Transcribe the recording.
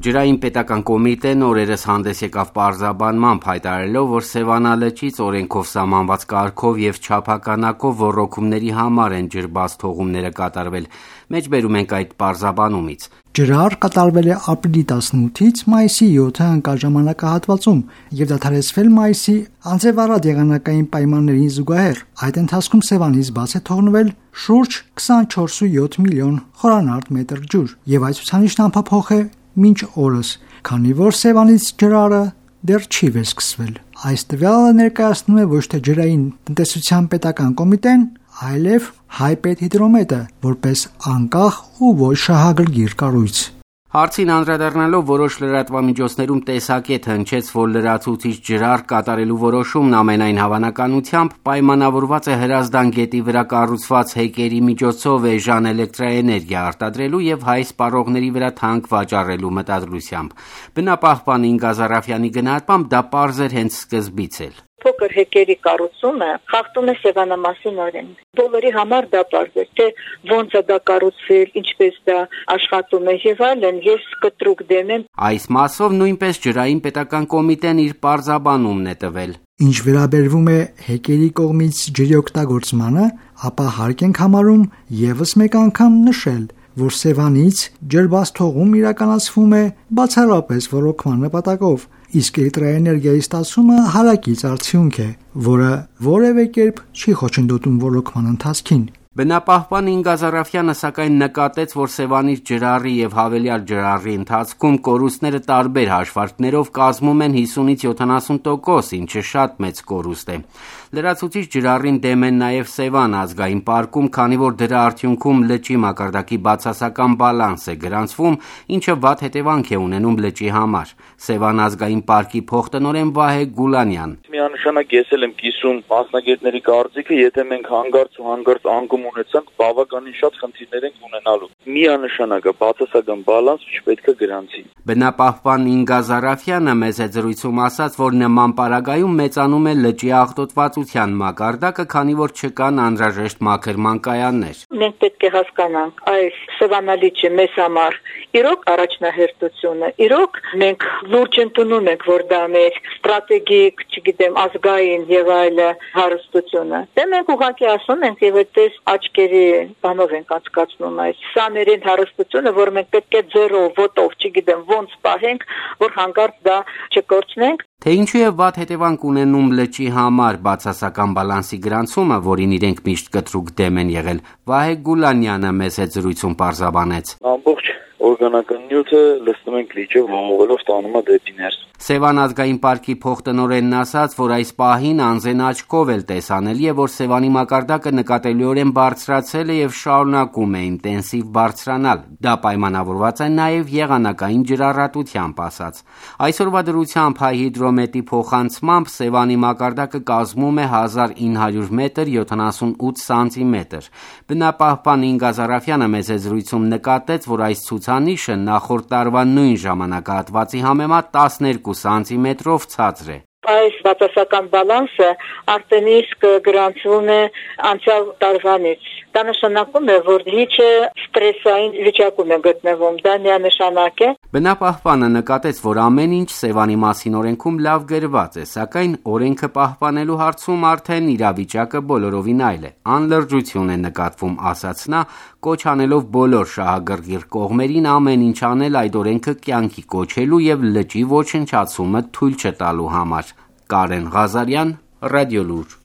Ջրային պետական կոմիտեն օրերս հանդես եկավ պարզաբանմամբ, հայտարարելով, որ Սևանա լճից օրենքով սահմանված կարգով եւ չափականակով ոռոգումների համար են ջրբաց թողումները կատարվել։ Մեջբերում ենք այդ պարզաբանումից։ Ջրահար կատարվել է ապրիլի 18-ից մայիսի 7-ը ընկալ ժամանակահատվածում եւ դադարեցվել մայիսի անձեվառատ եղանակային պայմաններին զուգահեռ։ Այդ ընթացքում Սևանից բաց է թողնվել շուրջ 24.7 միլիոն խորանարդ մետր ջուր եւ այդ ցուցանիշն անփոփոխ է մինչ օրս, քանի որ Սևանից ջրահարը դեռ չի վերսկսվել։ Այս տվյալը ներկայացնում է ոչ թե ջրային տնտեսության պետական կոմիտեն, այլև Հայպետհիդրոմետը որպես անկախ ու ոչ շահագրգիռ կառույց։ Հարցին անդրադառնալով որոշ լրատվամիջոցներում տեսակետ հնչեց, որ լրացուցիչ ջրահար կատարելու որոշումն ամենայն հավանականությամբ պայմանավորված է Հրազդան գետի վրա կառուցված հեկերի միջոցով էժան էլեկտրաէներգիա արտադրելու եւ հայ սպառողների վրա թանկ վաճառելու մտադրությամբ։ Բնապահպան Ինգա Զարաֆյանի գնահատմամբ դա պարզ էր հենց սկզբից էլ։ Փոքր հեկերի կառուցումը խախտում է Սևանամասին օրենք։ Բոլորի համար դա պարզ է, թե ոնց է դա կառուցվել, ինչպես դա աշխատում է եւ այլն, ես կտրուկ դեմ եմ։ Այս մասով նույնպես ջրային պետական կոմիտեն իր պարզաբանումն է տվել։ Ինչ վերաբերվում է հեկերի կողմից ջրի օգտագործմանը, ապա հարկ ենք համարում եւս մեկ անգամ նշել, որ Սևանից ջրբաց թողում իրականացվում է բացառապես ոռոգման նպատակով, իսկ էլեկտրաէներգիայի ստացումը հարակից արդյունք է, որը որևէ կերպ չի խոչընդոտում ոռոգման ընթացքին։ Բնապահպան Ինգա Զարաֆյանը սակայն նկատեց, որ Սևանից ջրահարի եւ հավելյալ ջրահարի ընթացքում կորուստները տարբեր հաշվարկներով կազմում են 50-ից 70%, ինչը շատ մեծ կորուստ է։ Լրացուցիչ ջրահարին դեմ են նաեւ Սևան ազգային պարկում, քանի որ դրա արդյունքում լճի մակարդակի բացասական բալանս է գրանցվում, ինչը վատ հետևանք է ունենում լճի համար։ Սևան ազգային պարկի փոխտնօրեն Վահե Գուլանյան։ Միանշանակ ես էլ եմ կիսում մասնագետների կարծիքը, եթե մենք հանգարց անկում ունեցանք, բավականին շատ խնդիրներ ենք ունենալու։ Միանշանակ բացասական բալանս չպետք է գրանցի։ Բնապահպան Ինգա Զարաֆյանը մեծ է զրույցում ասաց, որ նման պարագայում մեծանում է լճի աղտոտվածության մակարդակը, քանի որ չկան անհրաժեշտ մաքրման կայաններ։ Մենք պետք է հասկանանք, այս Սևանա լիճը մեզ համար իրոք առաջնահերթություն է։ Իրոք մենք լուրջ ընդունում ենք, որ դա մեր ստրատեգիկ, չգիտեմ, ազգային եւ այլ հարստություն է։ Դե մենք ուղղակի ասում ենք եւ այդպես աչքերի բանով ենք անցկացնում այս սաներեն հարստությունը, որ մենք պետք է ձեռով, ոտով, չգիտեմ, ոնց պահենք, որ հանկարծ դա չկորցնենք։ Թե ինչու է վատ հետևանք ունենում լճի համար բացասական բալանսի գրանցումը, որին իրենք միշտ կտրուկ դեմ են եղել, Վահե Գուլանյանը մեծ է զրույցում պարզաբանեց։ Ամբողջ օրգանական նյութը լցնում ենք լիճը ողողելով տանում է դեպի ներս։ Սևան ազգային պարկի փոխտնօրենն ասաց, որ այս պահին անձեն աչքով էլ տեսանելի է, որ Սևանի մակարդակը նկատելիորեն բարձրացել է եւ շարունակում է ինտենսիվ բարձրանալ։ Դա պայմանավորված է նաեւ եղանակային ջրառատությամբ, ասաց։ Այսօրվա դրությամբ Հայհիդրոմետի փոխանցմամբ Սևանի մակարդակը կազմում է 1900 մետր 78 սանտիմետր։ Բնապահպան Ինգա Զարաֆյանը մեծ է զրույցում նկատեց, որ այս ցուցանիշը նախորդ տարվա նույն ժամանակահատվածի համեմատ 12 սանտիմետրով ցածր է։ Այս բացասական բալանսը արդեն իսկ գրանցվում է անցյալ տարվանից։ Դա նշանակում է, որ լիճը ստրեսային վիճակում է գտնվում, դա միանշանակ է։ Բնապահպանը նկատեց, որ ամեն ինչ Սևանի մասին օրենքում լավ գրված է, սակայն օրենքը պահպանելու հարցում արդեն իրավիճակը բոլորովին այլ է։ Անլրջություն է նկատվում, ասաց նա, կոչ անելով բոլոր շահագրգիռ կողմերին ամեն ինչ անել այդ օրենքը կյանքի կոչելու եւ լճի ոչնչացումը թույլ չտալու համար։ Կարեն Ղազարյան, Ռադիոլուր։